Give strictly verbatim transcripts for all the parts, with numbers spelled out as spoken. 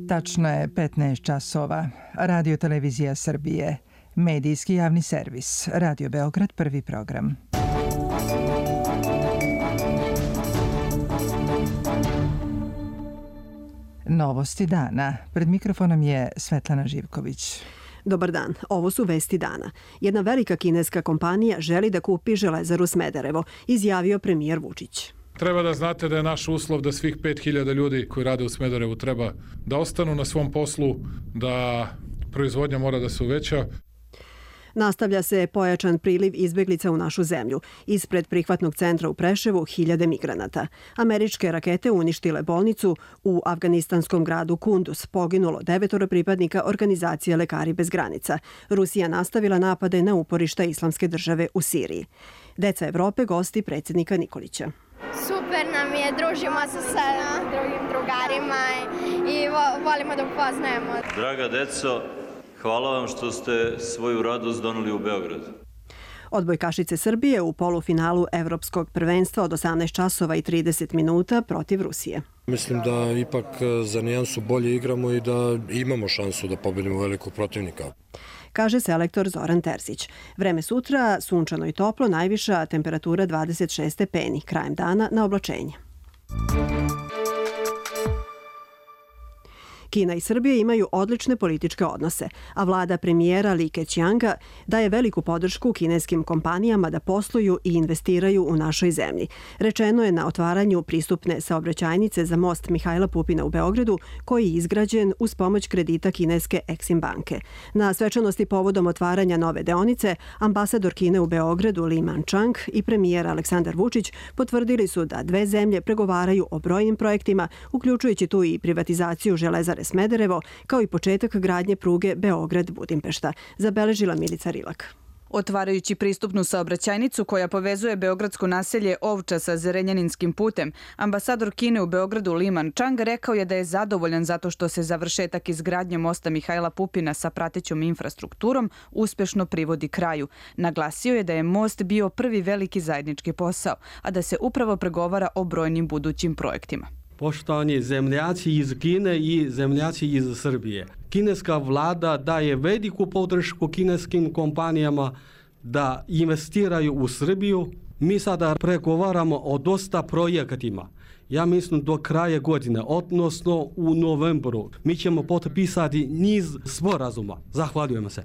Tačno je petnaest časova. Radio Televizija Srbije. Medijski javni servis. Radio Beograd, prvi program. Novosti dana. Pred mikrofonom je Svetlana Živković. Dobar dan, ovo su vesti dana. Jedna velika kineska kompanija želi da kupi Železaru Smederevo, izjavio premijer Vučić. Treba da znate da je naš uslov da svih pet hiljada ljudi koji rade u Smederevu treba da ostanu na svom poslu, da proizvodnja mora da se uveća. Nastavlja se pojačan priliv izbeglica u našu zemlju. Ispred prihvatnog centra u Preševu hiljade migranata. Američke rakete uništile bolnicu u afganistanskom gradu Kunduz. Poginulo devetoro pripadnika organizacije Lekari bez granica. Rusija nastavila napade na uporišta Islamske države u Siriji. Deca Evrope gosti predsjednika Nikolića. Super nam je, družimo se sa drugim drugarima i volimo da upoznajemo. Draga deco, hvala vam što ste svoju radost doneli u Beograd. Odbojkašice Srbije u polufinalu Evropskog prvenstva od osamnaest časova i trideset minuta protiv Rusije. Mislim da ipak za nijansu bolje igramo i da imamo šansu da pobedimo velikog protivnika, kaže selektor Zoran Terzić. Vreme sutra, sunčano i toplo, najviša temperatura dvadeset šest stepeni, krajem dana na oblačenje. Kina i Srbija imaju odlične političke odnose, a vlada premijera Li Keqianga daje veliku podršku kineskim kompanijama da posluju i investiraju u našoj zemlji. Rečeno je na otvaranju pristupne saobraćajnice za most Mihajla Pupina u Beogradu, koji je izgrađen uz pomoć kredita kineske Exim banke. Na svečanosti povodom otvaranja nove deonice, ambasador Kine u Beogradu Li Manchang i premijer Aleksandar Vučić potvrdili su da dve zemlje pregovaraju o brojnim projektima, uključujući tu i privatizaciju Železare Smederevo, kao i početak gradnje pruge Beograd-Budimpešta, zabeležila Milica Rilak. Otvarajući pristupnu saobraćajnicu koja povezuje beogradsko naselje Ovča sa Zrenjaninskim putem, ambasador Kine u Beogradu Li Manchang rekao je da je zadovoljan zato što se završetak izgradnje mosta Mihajla Pupina sa pratećom infrastrukturom uspešno privodi kraju. Naglasio je da je most bio prvi veliki zajednički posao, a da se upravo pregovara o brojnim budućim projektima. Poštovani zemljaci iz Kine i zemljaci iz Srbije. Kineska vlada daje veliku podršku kineskim kompanijama da investiraju u Srbiju. Mi sada pregovaramo o dosta projektima. Ja mislim do kraja godine, odnosno u novembru, mi ćemo potpisati niz sporazuma. Zahvaljujemo se.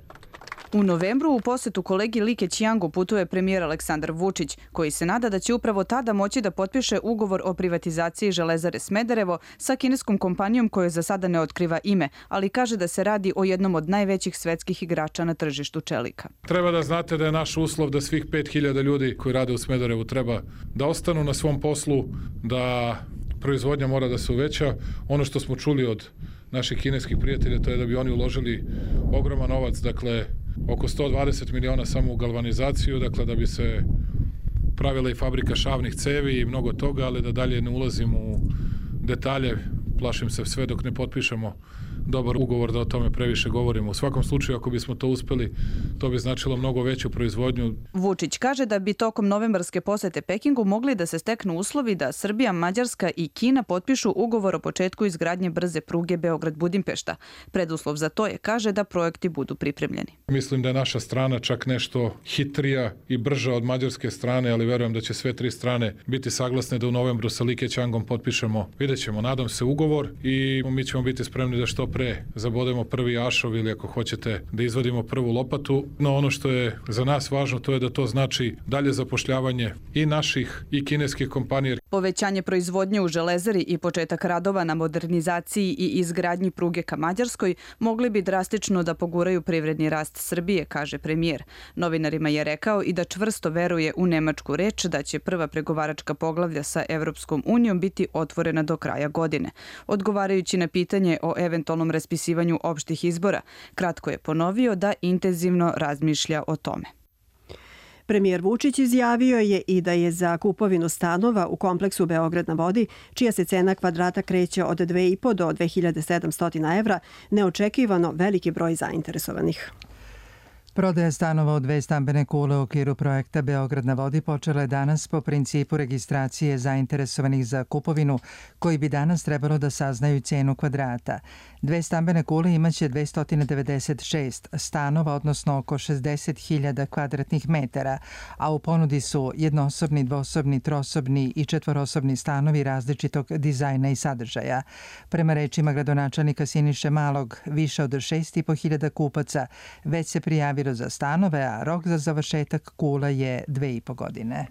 U novembru u posetu kolegi Li Keqiangu putuje premijer Aleksandar Vučić, koji se nada da će upravo tada moći da potpiše ugovor o privatizaciji Železare Smederevo sa kineskom kompanijom koja za sada ne otkriva ime, ali kaže da se radi o jednom od najvećih svetskih igrača na tržištu čelika. Treba da znate da je naš uslov da svih pet hiljada ljudi koji rade u Smederevu treba da ostanu na svom poslu, da proizvodnja mora da se uveća. Ono što smo čuli od naših kineskih prijatelja, to je da bi oni uložili ogroman novac, dakle oko sto dvadeset miliona samo u galvanizaciju, dakle da bi se pravila i fabrika šavnih cevi i mnogo toga, ali da dalje ne ulazim u detalje, plašim se sve dok ne potpišemo dobar ugovor da o tome previše govorimo. U svakom slučaju, ako bismo to uspeli, to bi značilo mnogo veću proizvodnju. Vučić kaže da bi tokom novembarske posete Pekingu mogli da se steknu uslovi da Srbija, Mađarska i Kina potpišu ugovor o početku izgradnje brze pruge Beograd-Budimpešta. Preduslov za to je, kaže, da projekti budu pripremljeni. Mislim da je naša strana čak nešto hitrija i brža od mađarske strane, ali verujem da će sve tri strane biti saglasne da u novembru sa Li Keqiangom potpišemo, vidjet ćemo, nadam se, ugovor i mi ćemo biti spremni da što pre zabodemo prvi ašov ili ako hoćete da izvadimo prvu lopatu. No ono što je za nas važno to je da to znači dalje zapošljavanje i naših i kineskih kompanija. Povećanje proizvodnje u Železari i početak radova na modernizaciji i izgradnji pruge ka Mađarskoj mogli bi drastično da poguraju privredni rast Srbije, kaže premijer. Novinarima je rekao i da čvrsto veruje u nemačku reč da će prva pregovaračka poglavlja sa Evropskom unijom biti otvorena do kraja godine. Odgovarajući na pitanje o eventualnom raspisivanju opštih izbora, kratko je ponovio da intenzivno razmišlja o tome. Premijer Vučić izjavio je i da je za kupovinu stanova u kompleksu Beograd na vodi, čija se cena kvadrata kreće od dve i po do dve hiljade sedamsto evra, neočekivano veliki broj zainteresovanih. Prodaja stanova u dve stambene kule u okviru projekta Beograd na vodi počela je danas po principu registracije zainteresovanih za kupovinu, koji bi danas trebalo da saznaju cenu kvadrata. Dve stambene kule imaće dvesta devedeset šest stanova, odnosno oko šezdeset hiljada kvadratnih metara, a u ponudi su jednosobni, dvosobni, trosobni i četvorosobni stanovi različitog dizajna i sadržaja. Prema rečima gradonačelnika Siniše Malog, više od šest i po hiljada kupaca već se prijavilo za stanove, a rok za završetak kula je dve i po godine.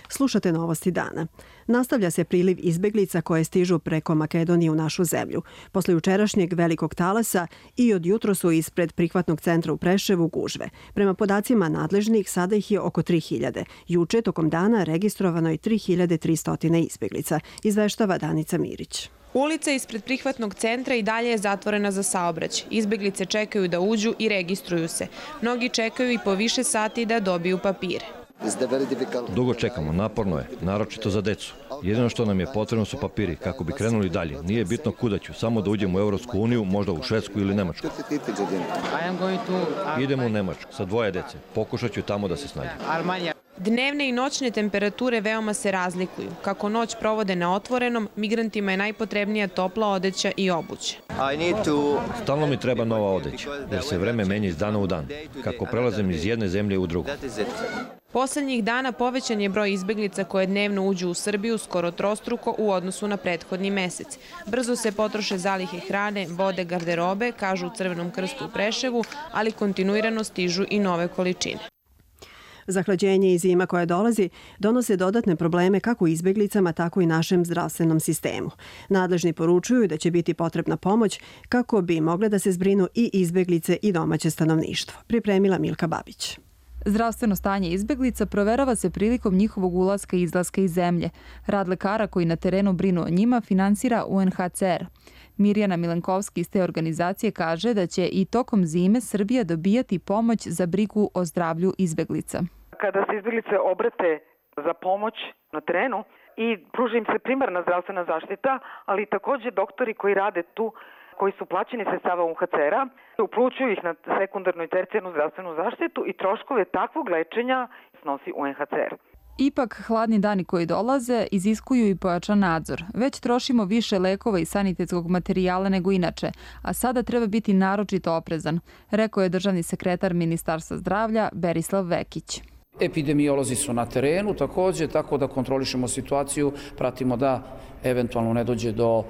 Slušate novosti dana. Nastavlja se priliv izbeglica koje stižu preko Makedonije u našu zemlju. Posle jučerašnjeg velikog talasa i od jutro su ispred prihvatnog centra u Preševu gužve. Prema podacima nadležnih, sada ih je oko tri hiljade. Juče, tokom dana, registrovano je tri hiljade tristo izbeglica, izveštava Danica Mirić. Ulica ispred prihvatnog centra i dalje je zatvorena za saobraćaj. Izbeglice čekaju da uđu i registruju se. Mnogi čekaju i po više sati da dobiju papire. Dugo čekamo, naporno je, naročito za decu. Jedino što nam je potrebno su papiri kako bi krenuli dalje. Nije bitno kuda ću, samo da uđemo u Evropsku uniju, možda u Švedsku ili Nemačku. Idemo u Nemačku sa dvoje dece. Pokušat ću tamo da se snađem. Dnevne i noćne temperature veoma se razlikuju. Kako noć provode na otvorenom, migrantima je najpotrebnija topla odeća i obuća. Stalno mi treba nova odeća, jer se vreme menja iz dana u dan, kako prelazim iz jedne zemlje u drugu. Poslednjih dana povećan je broj izbeglica koje dnevno uđu u Srbiju skoro trostruko u odnosu na prethodni mesec. Brzo se potroše zalihe hrane, vode, garderobe, kažu u Crvenom krstu u Preševu, ali kontinuirano stižu i nove količine. Zahlađenje i zima koja dolazi donose dodatne probleme kako izbeglicama, tako i našem zdravstvenom sistemu. Nadležni poručuju da će biti potrebna pomoć kako bi mogle da se zbrinu i izbeglice i domaće stanovništvo. Pripremila Milka Babić. Zdravstveno stanje izbeglica proverava se prilikom njihovog ulaska i izlaska iz zemlje. Rad lekara koji na terenu brinu o njima finansira U N H C R. Mirjana Milenkovski iz te organizacije kaže da će i tokom zime Srbija dobijati pomoć za brigu o zdravlju izbeglica. Kada se izbeglice obrate za pomoć na terenu i pruža im se primarna zdravstvena zaštita, ali takođe doktori koji rade tu, koji su plaćeni sredstava U N H C R-a, uplućuju ih na sekundarnu i tercijarnu zdravstvenu zaštitu i troškove takvog lečenja snosi U N H C R. Ipak, hladni dani koji dolaze iziskuju i pojačan nadzor. Već trošimo više lekova i sanitetskog materijala nego inače, a sada treba biti naročito oprezan, rekao je državni sekretar Ministarstva zdravlja Berislav Vekić. Epidemiolozi su na terenu takođe, tako da kontrolišemo situaciju, pratimo da eventualno ne dođe do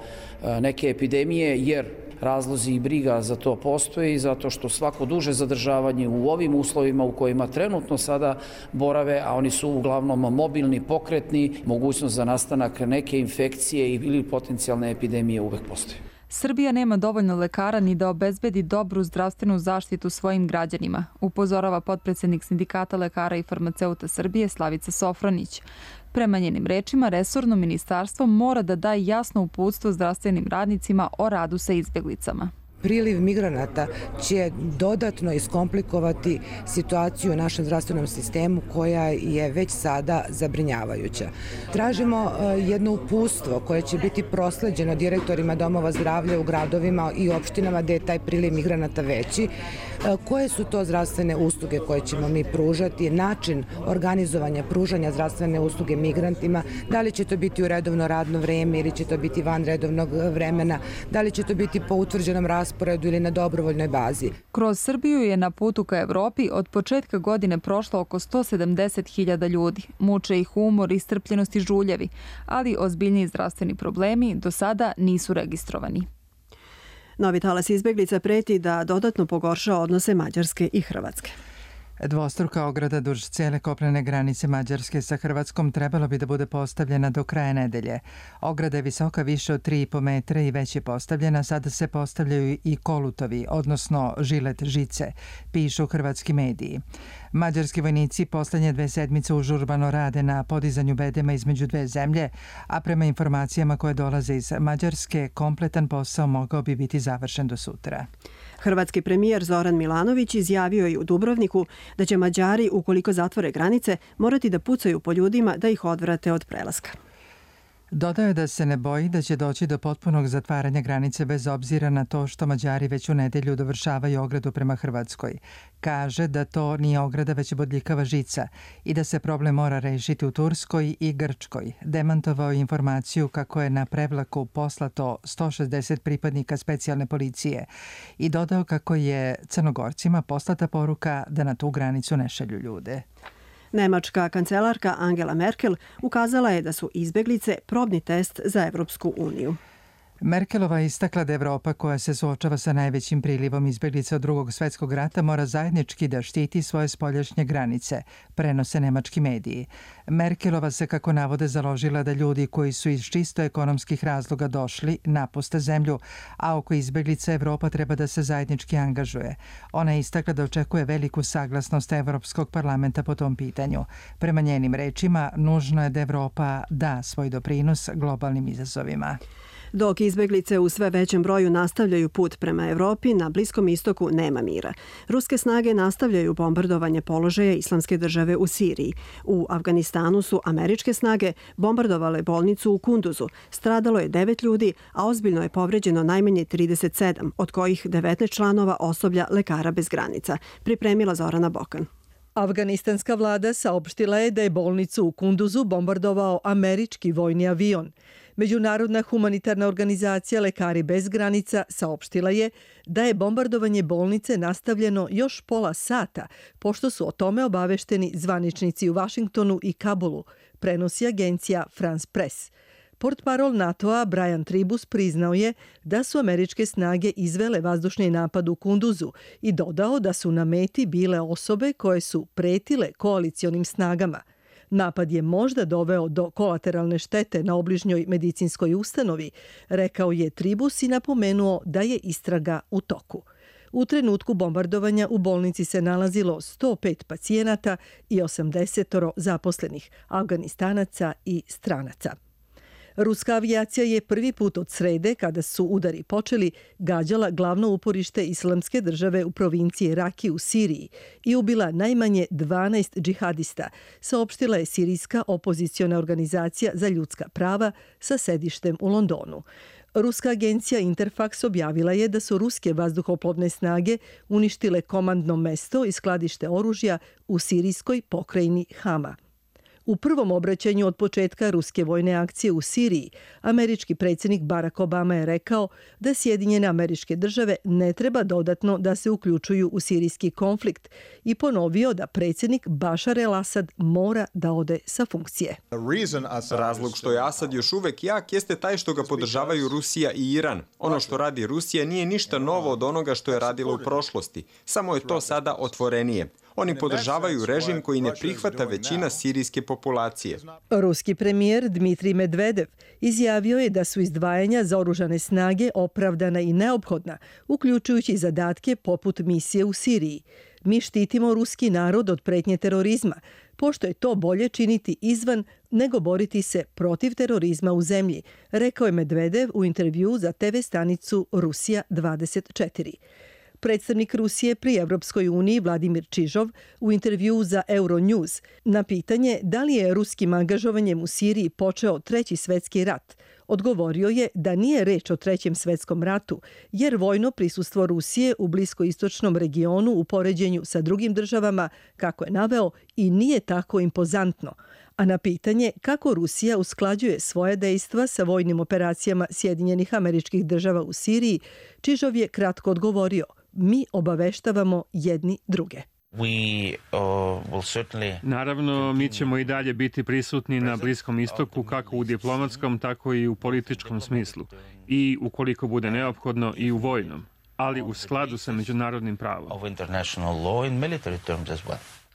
neke epidemije, jer razlozi i briga za to postoji, zato što svako duže zadržavanje u ovim uslovima u kojima trenutno sada borave, a oni su uglavnom mobilni, pokretni, mogućnost za nastanak neke infekcije ili potencijalne epidemije uvek postoji. Srbija nema dovoljno lekara ni da obezbedi dobru zdravstvenu zaštitu svojim građanima, upozorava potpredsednik Sindikata lekara i farmaceuta Srbije Slavica Sofronić. Prema njenim rečima, resorno ministarstvo mora da daje jasno uputstvo zdravstvenim radnicima o radu sa izbeglicama. Priliv migranata će dodatno iskomplikovati situaciju u našem zdravstvenom sistemu koja je već sada zabrinjavajuća. Tražimo jedno uputstvo koje će biti prosleđeno direktorima domova zdravlja u gradovima i opštinama gde je taj priliv migranata veći. Koje su to zdravstvene usluge koje ćemo mi pružati, način organizovanja pružanja zdravstvene usluge migrantima, da li će to biti u redovno radno vreme ili će to biti van redovnog vremena, da li će to biti po utvrđenom rasporedu ili na dobrovoljnoj bazi. Kroz Srbiju je na putu ka Evropi od početka godine prošlo oko sto sedamdeset hiljada ljudi. Muče ih umor, iscrpljenost i žuljevi, ali ozbiljniji zdravstveni problemi do sada nisu registrovani. Novi talas izbeglica preti da dodatno pogorša odnose Mađarske i Hrvatske. Dvostruka ograda duž cijele kopnene granice Mađarske sa Hrvatskom trebalo bi da bude postavljena do kraja nedelje. Ograda je visoka više od tri i po metra i već je postavljena, sada se postavljaju i kolutovi, odnosno žilet žice, pišu hrvatski mediji. Mađarski vojnici poslednje dve sedmice užurbano rade na podizanju bedema između dve zemlje, a prema informacijama koje dolaze iz Mađarske, kompletan posao mogao bi biti završen do sutra. Hrvatski premijer Zoran Milanović izjavio je u Dubrovniku da će Mađari, ukoliko zatvore granice, morati da pucaju po ljudima da ih odvrate od prelaska. Dodao je da se ne boji da će doći do potpunog zatvaranja granice bez obzira na to što Mađari već u nedelju dovršavaju ogradu prema Hrvatskoj. Kaže da to nije ograda već bodljikava žica i da se problem mora rešiti u Turskoj i Grčkoj. Demantovao je informaciju kako je na prevlaku poslato sto šezdeset pripadnika specijalne policije i dodao kako je Crnogorcima poslata poruka da na tu granicu ne šalju ljude. Nemačka kancelarka Angela Merkel ukazala je da su izbeglice probni test za Evropsku uniju. Merkelova je istakla da Evropa, koja se suočava sa najvećim prilivom izbeglica od drugog svetskog rata, mora zajednički da štiti svoje spoljašnje granice, prenose nemački mediji. Merkelova se, kako navode, založila da ljudi koji su iz čisto ekonomskih razloga došli napuste zemlju, a oko izbeglica Evropa treba da se zajednički angažuje. Ona je istakla da očekuje veliku saglasnost Evropskog parlamenta po tom pitanju. Prema njenim rečima, nužno je da Evropa da svoj doprinos globalnim izazovima. Dok izbeglice u sve većem broju nastavljaju put prema Evropi, na Bliskom istoku nema mira. Ruske snage nastavljaju bombardovanje položaja Islamske države u Siriji. U Afganistanu su američke snage bombardovale bolnicu u Kunduzu. Stradalo je devet ljudi, a ozbiljno je povređeno najmanje trideset sedam, od kojih devetnaest članova osoblja Lekara bez granica. Pripremila Zorana Bokan. Afganistanska vlada saopštila je da je bolnicu u Kunduzu bombardovao američki vojni avion. Međunarodna humanitarna organizacija Lekari bez granica saopštila je da je bombardovanje bolnice nastavljeno još pola sata, pošto su o tome obavešteni zvaničnici u Vašingtonu i Kabulu, prenosi agencija France Press. Portparol NATO-a Brian Tribus priznao je da su američke snage izvele vazdušni napad u Kunduzu i dodao da su na meti bile osobe koje su pretile koalicionim snagama. Napad je možda doveo do kolateralne štete na obližnjoj medicinskoj ustanovi, rekao je Tribus i napomenuo da je istraga u toku. U trenutku bombardovanja u bolnici se nalazilo sto pet pacijenata i osamdeset zaposlenih, Afganistanaca i stranaca. Ruska avijacija je prvi put od srede, kada su udari počeli, gađala glavno uporište Islamske države u provinciji Raki u Siriji i ubila najmanje dvanaest džihadista, saopštila je sirijska opoziciona organizacija za ljudska prava sa sedištem u Londonu. Ruska agencija Interfax objavila je da su ruske vazduhoplovne snage uništile komandno mesto i skladište oružja u sirijskoj pokrajini Hama. U prvom obraćanju od početka ruske vojne akcije u Siriji, američki predsjednik Barack Obama je rekao da Sjedinjene Američke Države ne treba dodatno da se uključuju u sirijski konflikt i ponovio da predsjednik Bashar el-Assad mora da ode sa funkcije. Razlog što je Asad još uvek jak jeste taj što ga podržavaju Rusija i Iran. Ono što radi Rusija nije ništa novo od onoga što je radila u prošlosti, samo je to sada otvorenije. Oni podržavaju režim koji ne prihvata većina sirijske populacije. Ruski premijer Dmitrij Medvedev izjavio je da su izdvajanja za oružane snage opravdana i neophodna, uključujući zadatke poput misije u Siriji. Mi štitimo ruski narod od pretnje terorizma, pošto je to bolje činiti izvan nego boriti se protiv terorizma u zemlji, rekao je Medvedev u intervjuu za te ve stanicu Rusija dvadeset četiri. Predstavnik Rusije pri Evropskoj uniji Vladimir Čižov u intervjuu za Euronews na pitanje da li je ruskim angažovanjem u Siriji počeo treći svetski rat, odgovorio je da nije reč o trećem svetskom ratu, jer vojno prisustvo Rusije u bliskoistočnom regionu u poređenju sa drugim državama, kako je naveo, i nije tako impozantno. A na pitanje kako Rusija usklađuje svoje dejstva sa vojnim operacijama Sjedinjenih Američkih Država u Siriji, Čižov je kratko odgovorio: mi obaveštavamo jedni druge. Naravno, mi ćemo i dalje biti prisutni na Bliskom istoku kako u diplomatskom, tako i u političkom smislu. I ukoliko bude neophodno i u vojnom, ali u skladu sa međunarodnim pravom.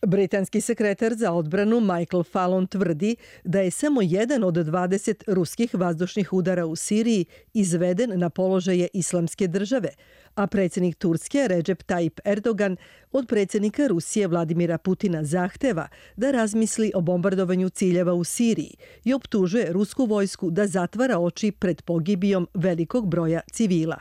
Britanski sekretar za odbranu Michael Fallon tvrdi da je samo jedan od dvadeset ruskih vazdušnih udara u Siriji izveden na položaje Islamske države, a predsjednik Turske Recep Tayyip Erdogan od predsjednika Rusije Vladimira Putina zahteva da razmisli o bombardovanju ciljeva u Siriji i optužuje rusku vojsku da zatvara oči pred pogibijom velikog broja civila.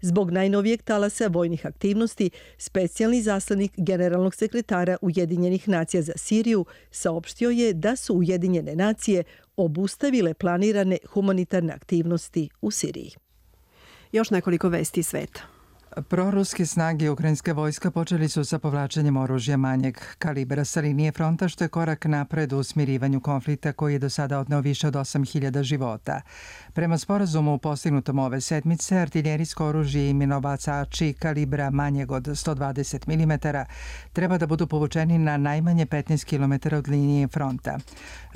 Zbog najnovijeg talasa vojnih aktivnosti, specijalni zaslanik generalnog sekretara Ujedinjenih nacija za Siriju saopštio je da su Ujedinjene nacije obustavile planirane humanitarne aktivnosti u Siriji. Još nekoliko vesti sveta. Proruske snage ukrajinske vojska počeli su sa povlačenjem oružja manjeg kalibra sa linije fronta, što je korak napred u smirivanju konflikta koji je do sada odneo više od osam hiljada života. Prema sporazumu postignutom ove sedmice, artiljerijsko oružje i minobacači kalibra manjeg od sto dvadeset milimetara treba da budu povučeni na najmanje petnaest kilometara od linije fronta.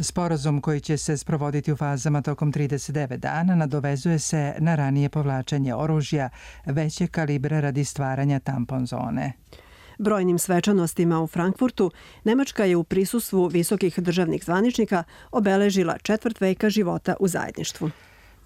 Sporazum koji će se sprovoditi u fazama tokom trideset devet dana nadovezuje se na ranije povlačenje oružja veće kalibra radi stvaranja tampon zone. Brojnim svečanostima u Frankfurtu Nemačka je u prisustvu visokih državnih zvaničnika obeležila četvrt veka života u zajedništvu.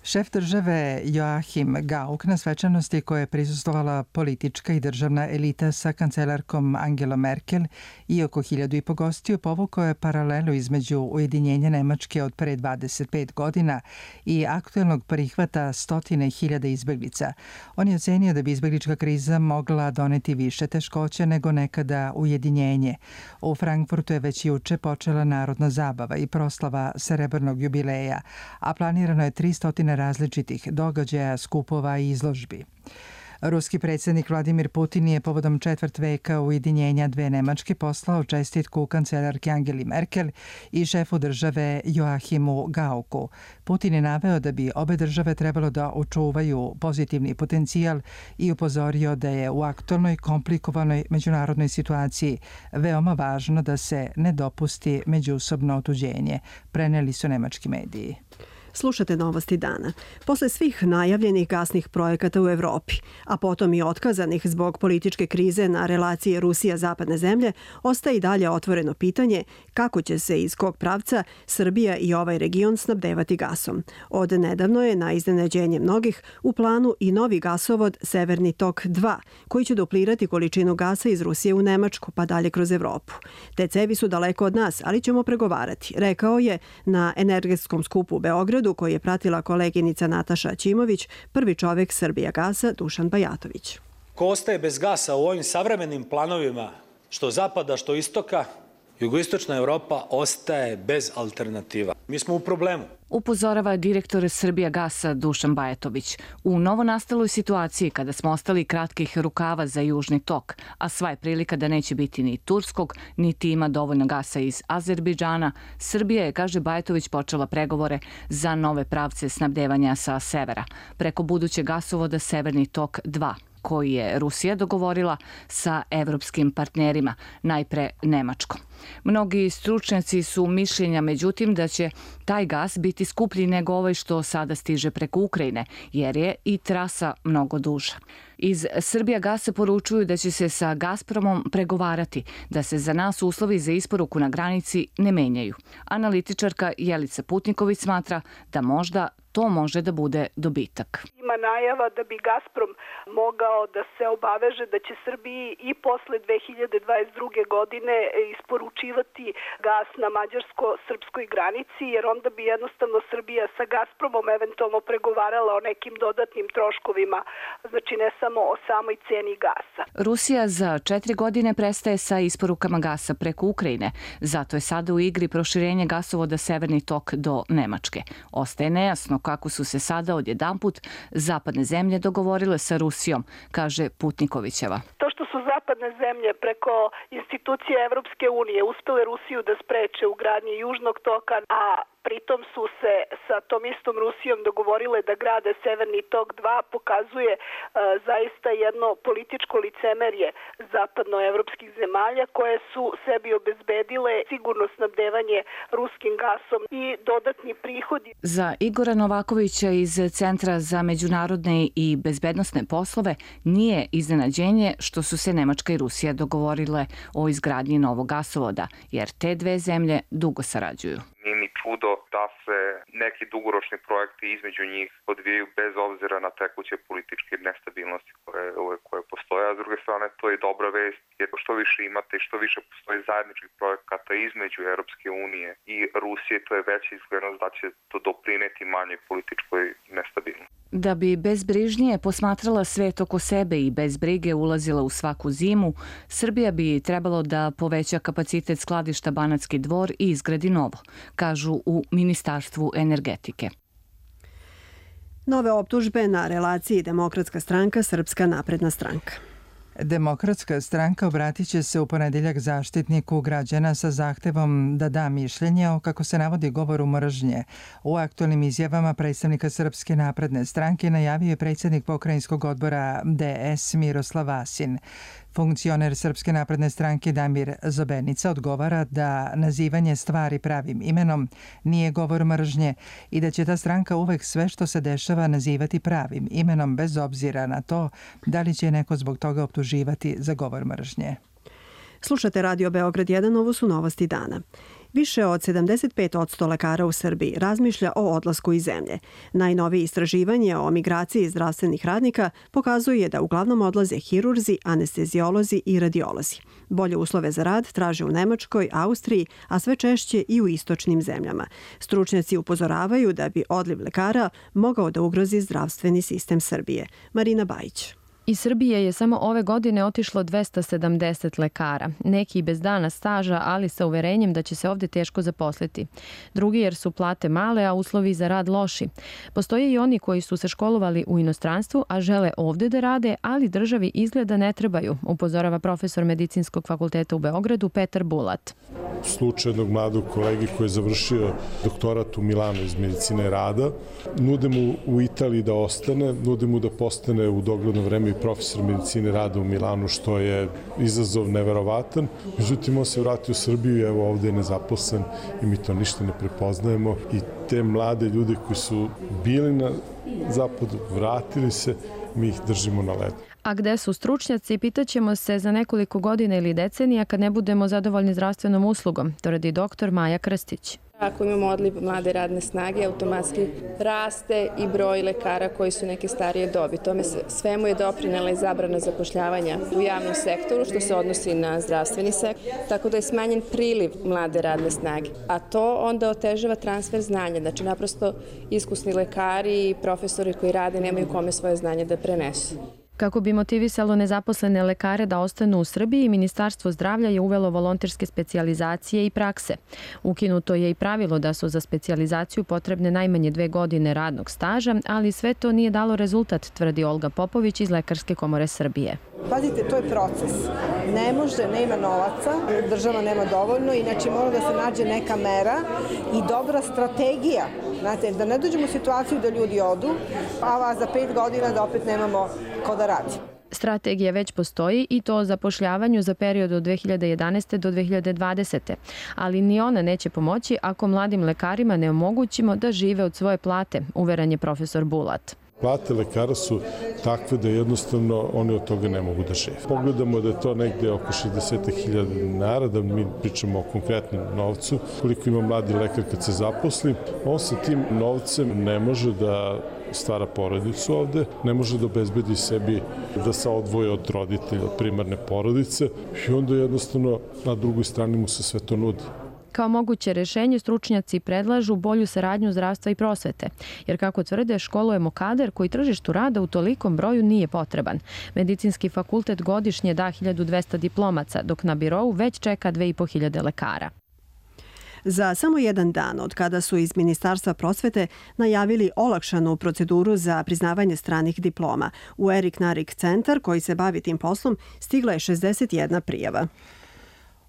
Šef države Joachim Gauck na svečanosti koje je prisustvovala politička i državna elita sa kancelarkom Angelom Merkel i oko hiljadu i po gostiju povukao je paralelu između ujedinjenja Nemačke od pre dvadeset pet godina i aktuelnog prihvata stotine hiljada izbeglica. On je ocenio da bi izbeglička kriza mogla doneti više teškoća nego nekada ujedinjenje. U Frankfurtu je već juče počela narodna zabava i proslava srebrnog jubileja, a planirano je tristo različitih događaja, skupova i izložbi. Ruski predsjednik Vladimir Putin je povodom četvrt veka ujedinjenja dve Nemačke poslao čestitku kancelarki Angeli Merkel i šefu države Joachimu Gaucku. Putin je naveo da bi obe države trebalo da očuvaju pozitivni potencijal i upozorio da je u aktualnoj komplikovanoj međunarodnoj situaciji veoma važno da se ne dopusti međusobno otuđenje, preneli su nemački mediji. Slušate novosti dana. Posle svih najavljenih gasnih projekata u Evropi, a potom i otkazanih zbog političke krize na relaciji Rusija-zapadne zemlje, ostaje i dalje otvoreno pitanje kako će se iz kog pravca Srbija i ovaj region snabdevati gasom. Od nedavno je na iznenađenje mnogih u planu i novi gasovod Severni tok dva, koji će duplirati količinu gasa iz Rusije u Nemačku pa dalje kroz Evropu. Te cevi su daleko od nas, ali ćemo pregovarati, rekao je na energetskom skupu u Beogradu koji je pratila koleginica Nataša Ćimović, prvi čovjek Srbijagasa Dušan Bajatović. Ko ostaje bez gasa u ovim savremenim planovima, što zapada, što istoka, jugoistočna Evropa ostaje bez alternativa. Mi smo u problemu. Upozorava direktor Srbijagasa Dušan Bajatović. U novonastaloj situaciji kada smo ostali kratkih rukava za južni tok, a sva je prilika da neće biti ni turskog, niti ima dovoljno gasa iz Azerbejdžana, Srbija je, kaže Bajatović, počela pregovore za nove pravce snabdevanja sa severa, preko budućeg gasovoda Severni tok dva, koji je Rusija dogovorila sa evropskim partnerima, najpre Nemačkom. Mnogi stručnjaci su mišljenja, međutim, da će taj gas biti skuplji nego ovaj što sada stiže preko Ukrajine, jer je i trasa mnogo duža. Iz Srbijagasa poručuju da će se sa Gazpromom pregovarati, da se za nas uslovi za isporuku na granici ne menjaju. Analitičarka Jelica Putniković smatra da možda to može da bude dobitak. Ima najava da bi Gazprom mogao da se obaveže da će Srbiji i posle dve hiljade dvadeset druge godine isporučivati gas na mađarsko-srpskoj granici, jer onda bi jednostavno Srbija sa Gazpromom eventualno pregovarala o nekim dodatnim troškovima, znači ne samo o samoj ceni gasa. Rusija za četiri godine prestaje sa isporukama gasa preko Ukrajine, zato je sada u igri proširenje gasovoda Severni tok do Nemačke. Ostaje nejasno kako su se sada odjedanput zapadne zemlje dogovorile sa Rusijom, kaže Putnikovićeva. To što su zapadne zemlje preko institucije Evropske unije uspele Rusiju da spreče u gradnji južnog toka, a pritom su se sa tom istom Rusijom dogovorile da grade Severni tok dva, pokazuje e, zaista jedno političko licemerje zapadnoevropskih zemalja koje su sebi obezbedile sigurno snabdevanje ruskim gasom i dodatni prihodi. Za Igora Novakovića iz Centra za međunarodne i bezbednosne poslove nije iznenađenje što su se Nemačka i Rusija dogovorile o izgradnji novog gasovoda, jer te dve zemlje dugo sarađuju. Nije ni čudo da se neki dugoročni projekti između njih odvijaju bez obzira na tekuće političke nestabilnosti koje, koje postoje, a s druge strane to je dobra vest, jer što više imate i što više postoji zajedničkih projekata između Europske unije i Rusije, to je veća izglednost da će to doprineti manjoj političkoj nestabilnosti. Da bi bezbrižnije posmatrala svet oko sebe i bez brige ulazila u svaku zimu, Srbija bi trebalo da poveća kapacitet skladišta Banatski Dvor i izgradi novo, kažu u Ministarstvu energetike. Nove optužbe na relaciji Demokratska stranka, Srpska napredna stranka. Demokratska stranka obratit će se u ponedeljak zaštitniku građana sa zahtevom da da mišljenje o, kako se navodi, govoru mržnje. U aktualnim izjavama predstavnika Srpske napredne stranke najavio je predsjednik pokrajinskog odbora D S Miroslav Vasin. Funkcioner Srpske napredne stranke Damir Zobenica odgovara da nazivanje stvari pravim imenom nije govor mržnje i da će ta stranka uvek sve što se dešava nazivati pravim imenom bez obzira na to da li će neko zbog toga optuživati za govor mržnje. Slušate Radio Beograd jedan, ovo su novosti dana. Više od sedamdeset pet posto lekara u Srbiji razmišlja o odlasku iz zemlje. Najnovije istraživanje o migraciji zdravstvenih radnika pokazuje da uglavnom odlaze hirurzi, anestezijolozi i radiolozi. Bolje uslove za rad traže u Nemačkoj, Austriji, a sve češće i u istočnim zemljama. Stručnjaci upozoravaju da bi odliv lekara mogao da ugrozi zdravstveni sistem Srbije. Marina Bajić. Iz Srbije je samo ove godine otišlo dvesta sedamdeset lekara, neki bez dana staža, ali sa uverenjem da će se ovde teško zaposliti. Drugi jer su plate male, a uslovi za rad loši. Postoje i oni koji su se školovali u inostranstvu, a žele ovde da rade, ali državi izgleda ne trebaju, upozorava profesor Medicinskog fakulteta u Beogradu Petar Bulat. Slučaj jednog mladog kolegi koji je završio doktorat u Milanu iz medicine rada. Nude mu u Italiji da ostane, nude mu da postane u dogledno vreme i profesor medicine rada u Milanu, što je izazov neverovatan. Međutim, on se vratio u Srbiju i evo ovde je nezaposlen i mi to ništa ne prepoznajemo. I te mlade ljude koji su bili na zapadu, vratili se, mi ih držimo na ledu. A gde su stručnjaci, pitaćemo se za nekoliko godina ili decenija kad ne budemo zadovoljni zdravstvenom uslugom, tvrdi doktor Maja Krstić. Ako imamo odliv mlade radne snage, automatski raste i broj lekara koji su neke starije dobi. Tome svemu je doprinela i zabrana zapošljavanja u javnom sektoru, što se odnosi na zdravstveni sektor, tako da je smanjen priliv mlade radne snage. A to onda otežava transfer znanja, znači naprosto iskusni lekari i profesori koji rade nemaju kome svoje znanje da prenesu. Kako bi motivisalo nezaposlene lekare da ostanu u Srbiji, Ministarstvo zdravlja je uvelo volonterske specijalizacije i prakse. Ukinuto je i pravilo da su za specijalizaciju potrebne najmanje dve godine radnog staža, ali sve to nije dalo rezultat, tvrdi Olga Popović iz Lekarske komore Srbije. Pazite, to je proces. Ne može, nema novaca, država nema dovoljno, inače mora da se nađe neka mera i dobra strategija. Znate, da ne dođemo u situaciju da ljudi odu, pa za pet godina da opet nemamo ko da radi. Strategija već postoji i to o zapošljavanju za period od dve hiljade jedanaeste. do dve hiljade dvadesete. Ali ni ona neće pomoći ako mladim lekarima ne omogućimo da žive od svoje plate, uveren je profesor Bulat. Plate lekara su takve da jednostavno oni od toga ne mogu da žive. Pogledamo da je to negde oko šezdeset hiljada dinara, da mi pričamo o konkretnom novcu. Koliko ima mladi lekar kad se zaposli, on sa tim novcem ne može da stvara porodicu ovde, ne može da obezbedi sebi da se odvoje od roditelja, od primarne porodice i onda jednostavno na drugoj strani mu se sve to nudi. Kao moguće rešenje stručnjaci predlažu bolju saradnju zdravstva i prosvete, jer kako tvrde, školujemo kadar koji tržištu rada u tolikom broju nije potreban. Medicinski fakultet godišnje da hiljadu dvesta diplomaca, dok na birou već čeka dve i po hiljade lekara. Za samo jedan dan od kada su iz Ministarstva prosvete najavili olakšanu proceduru za priznavanje stranih diploma, u Erik Narik centar koji se bavi tim poslom stigla je šezdeset jedna prijava.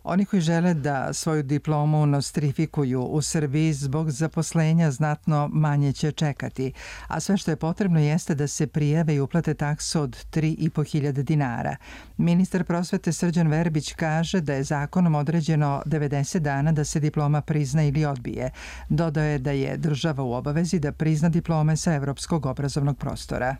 Oni koji žele da svoju diplomu nostrifikuju u Srbiji zbog zaposlenja znatno manje će čekati, a sve što je potrebno jeste da se prijave i uplate taksu od tri i po hiljade dinara. Ministar prosvete Srđan Verbić kaže da je zakonom određeno devedeset dana da se diploma prizna ili odbije. Dodao je da je država u obavezi da prizna diplome sa evropskog obrazovnog prostora.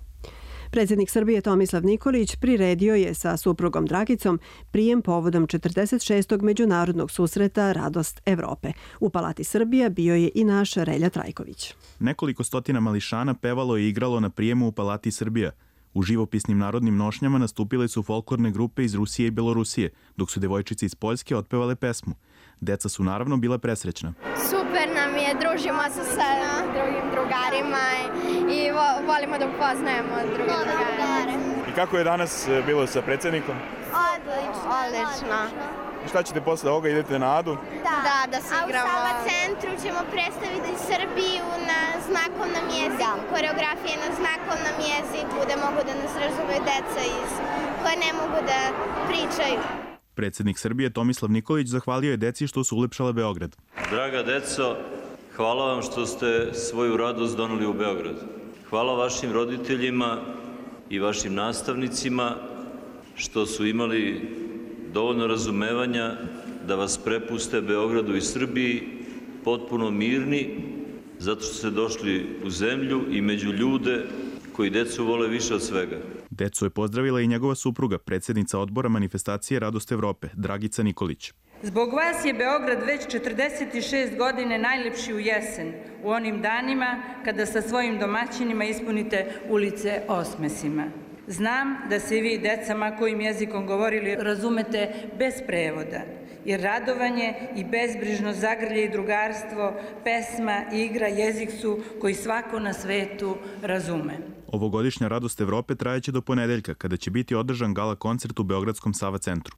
Predsjednik Srbije Tomislav Nikolić priredio je sa suprugom Dragicom prijem povodom četrdeset šestog međunarodnog susreta Radost Evrope. U Palati Srbija bio je i naš Relja Trajković. Nekoliko stotina mališana pevalo i igralo na prijemu u Palati Srbija. U živopisnim narodnim nošnjama nastupile su folklorne grupe iz Rusije i Belorusije, dok su devojčice iz Poljske otpevale pesmu. Deca su naravno bila presrećna. Super nam je, družimo se sa drugim drugarima i volimo da upoznajemo druge drugare. I kako je danas bilo sa predsjednikom? Odlično. Odlično. I šta ćete posle ovoga, idete na Adu? Da, da, da se igramo. A u Sava centru ćemo predstaviti Srbiju na znakovnom jeziku, koreografije na znakovnom jeziku, da mogu da nas razumeju deca iz koje ne mogu da pričaju. Predsjednik Srbije Tomislav Nikolić zahvalio je deci što su ulepšala Beograd. Draga deco, hvala vam što ste svoju radost doneli u Beograd. Hvala vašim roditeljima i vašim nastavnicima što su imali dovoljno razumevanja da vas prepuste Beogradu i Srbiji potpuno mirni, zato što ste došli u zemlju i među ljude koji decu vole više od svega. Decu je pozdravila i njegova supruga, predsjednica odbora manifestacije Radost Evrope, Dragica Nikolić. Zbog vas je Beograd već četrdeset šest godine najlepši u jesen, u onim danima kada sa svojim domaćinima ispunite ulice osmesima. Znam da se i vi, decama kojim jezikom govorili, razumete bez prevoda, jer radovanje i bezbrižno zagrlje i drugarstvo, pesma, igra, jezik su koji svako na svetu razume. Ovogodišnja Radost Evrope trajeće do ponedeljka, kada će biti održan gala koncert u Beogradskom Sava centru.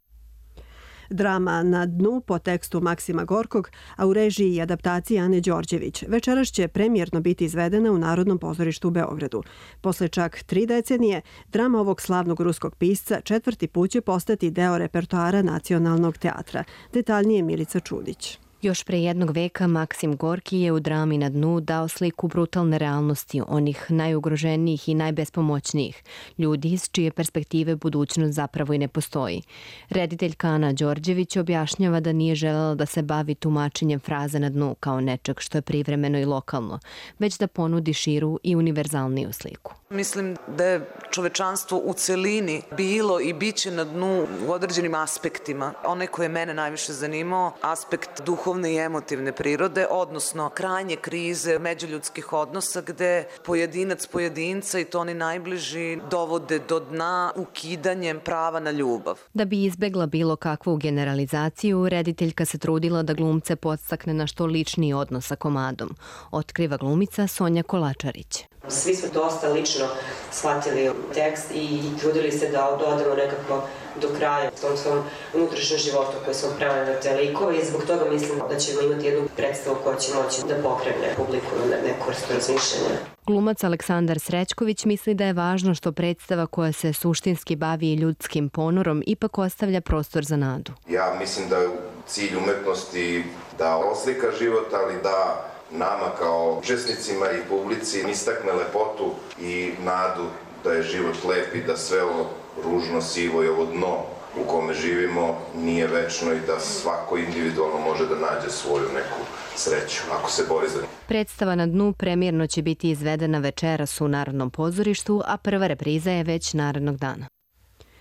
Drama Na dnu po tekstu Maksima Gorkog, a u režiji i adaptaciji Ane Đorđević. Večeras će premijerno biti izvedena u Narodnom pozorištu u Beogradu. Posle čak tri decenije, drama ovog slavnog ruskog pisca četvrti put će postati deo repertoara Nacionalnog teatra. Detaljnije Milica Čudić. Još pre jednog veka Maksim Gorki je u drami Na dnu dao sliku brutalne realnosti onih najugroženijih i najbespomoćnijih, ljudi iz čije perspektive budućnost zapravo i ne postoji. Rediteljka Ana Đorđević objašnjava da nije želela da se bavi tumačenjem fraze na dnu kao nečeg što je privremeno i lokalno, već da ponudi širu i univerzalniju sliku. Mislim da je čovečanstvo u celini bilo i biće na dnu u određenim aspektima. Onaj koji je mene najviše zanimao, aspekt duhovne i emotivne prirode, odnosno krajnje krize međuljudskih odnosa gde pojedinac pojedinca i to oni najbliži dovode do dna ukidanjem prava na ljubav. Da bi izbegla bilo kakvu generalizaciju, rediteljka se trudila da glumce podstakne na što ličniji odnos sa komadom. Otkriva glumica Sonja Kolačarić. Svi smo dosta lično shvatili tekst i trudili se da dodamo nekako do kraja u tom svom unutrašnjem životu koji smo pravili na te likove i zbog toga mislim da ćemo imati jednu predstavu koja će moći da pokrene publiku na neku vrstu razmišljanja. Glumac Aleksandar Srećković misli da je važno što predstava koja se suštinski bavi ljudskim ponorom ipak ostavlja prostor za nadu. Ja mislim da je cilj umetnosti da oslika život, ali da nama kao učesnicima i publici istakne lepotu i nadu da je život lep i da sve ovo ružno, sivo i ovo dno u kome živimo nije večno i da svako individualno može da nađe svoju neku sreću ako se bori za nju. Predstava Na dnu premijerno će biti izvedena večeras u Narodnom pozorištu, a prva repriza je već narednog dana.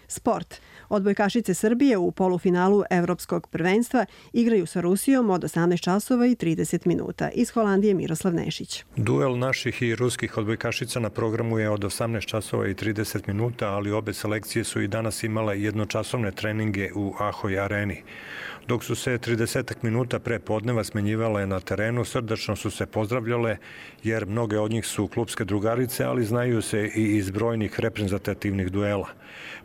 Sport. Odbojkašice Srbije u polufinalu Evropskog prvenstva igraju sa Rusijom od osamnaest časova i trideset minuta. Iz Holandije Miroslav Nešić. Duel naših i ruskih odbojkašica na programu je od osamnaest časova i trideset minuta, ali obe selekcije su i danas imale jednočasovne treninge u Ahoj areni. Dok su se trideset minuta pre podneva smenjivale na terenu, srdačno su se pozdravljale, jer mnoge od njih su klupske drugarice, ali znaju se i iz brojnih reprezentativnih duela.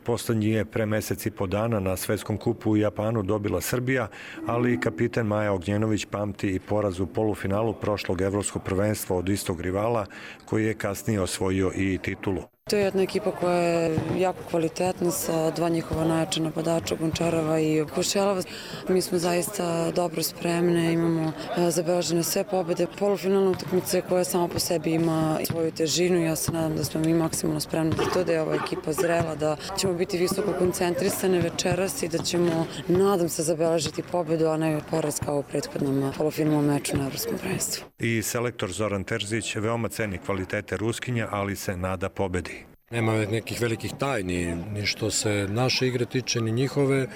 Poslednji je pre mesec i po dana na Svetskom kupu u Japanu dobila Srbija, ali kapiten Maja Ognjenović pamti i poraz u polufinalu prošlog evropskog prvenstva od istog rivala, koji je kasnije osvojio i titulu. To je jedna ekipa koja je jako kvalitetna sa dva njihova najjača napadača, Gončarova i Košelova. Mi smo zaista dobro spremne, imamo zabeležene sve pobede. Polufinalna utakmica koja sama po sebi ima svoju težinu. Ja se nadam da smo mi maksimalno spremni za to, da je ova ekipa zrela, da ćemo biti visoko koncentrisane večeras i da ćemo, nadam se, zabeležiti pobedu, a ne poraz kao u prethodnom polufinalnom meču na evropskom prvenstvu. I selektor Zoran Terzić veoma ceni kvalitete Ruskinja, ali se nada pobedi. Nema nekih velikih tajni, ni što se naše igre tiče, ni njihove.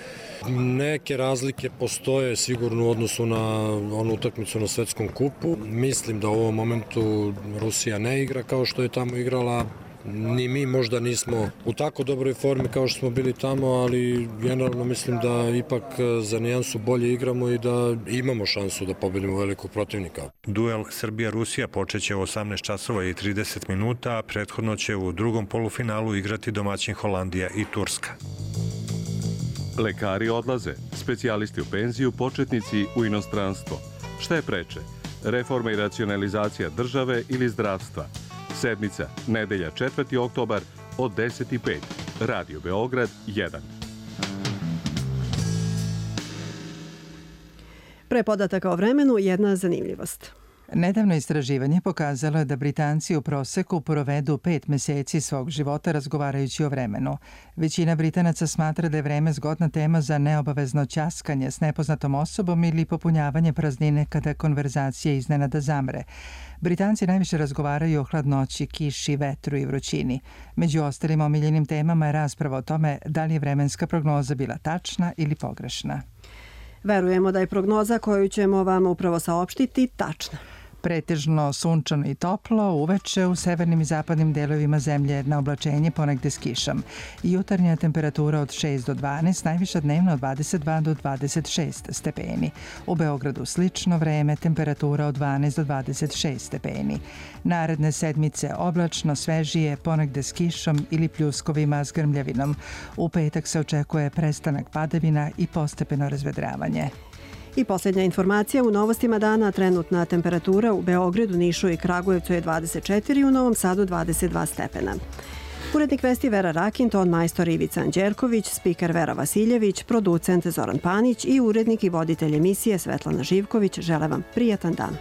Neke razlike postoje sigurno u odnosu na onu utakmicu na Svetskom kupu. Mislim da u ovom momentu Rusija ne igra kao što je tamo igrala Ni mi možda nismo u tako dobroj formi kao što smo bili tamo, ali generalno mislim da ipak za nijansu bolje igramo i da imamo šansu da pobedimo velikog protivnika. Duel Srbija-Rusija počeće u osamnaest časova i trideset minuta, a prethodno će u drugom polufinalu igrati domaćin Holandija i Turska. Lekari odlaze, specijalisti u penziju, početnici u inostranstvo. Šta je preče? Reforma i racionalizacija države ili zdravstva? Sedmica, nedelja četvrti oktobar od deset i pet. Radio Beograd jedan. Pre podataka o vremenu jedna zanimljivost. Nedavno istraživanje pokazalo je da Britanci u proseku provedu pet meseci svog života razgovarajući o vremenu. Većina Britanaca smatra da je vreme zgodna tema za neobavezno ćaskanje s nepoznatom osobom ili popunjavanje praznine kada konverzacija iznenada zamre. Britanci najviše razgovaraju o hladnoći, kiši, vetru i vrućini. Među ostalim omiljenim temama je rasprava o tome da li je vremenska prognoza bila tačna ili pogrešna. Verujemo da je prognoza koju ćemo vam upravo saopštiti tačna. Pretežno sunčano i toplo, uveče u severnim i zapadnim delovima zemlje na oblačenje ponegde s kišom. Jutarnja temperatura od šest do dvanaest, najviša dnevna od dvadeset dva do dvadeset šest stepeni. U Beogradu slično vreme, temperatura od dvanaest do dvadeset šest stepeni. Naredne sedmice oblačno, svežije, ponegde s kišom ili pljuskovima s grmljavinom. U petak se očekuje prestanak padavina i postepeno razvedravanje. I posljednja informacija u novostima dana, trenutna temperatura u Beogradu, Nišu i Kragujevcu je dvadeset četiri, u Novom Sadu dvadeset dva stepena. Urednik vesti Vera Rakin, ton majstor Ivica Anđerković, spiker Vera Vasiljević, producent Zoran Panić i urednik i voditelj emisije Svetlana Živković žele vam prijatan dan.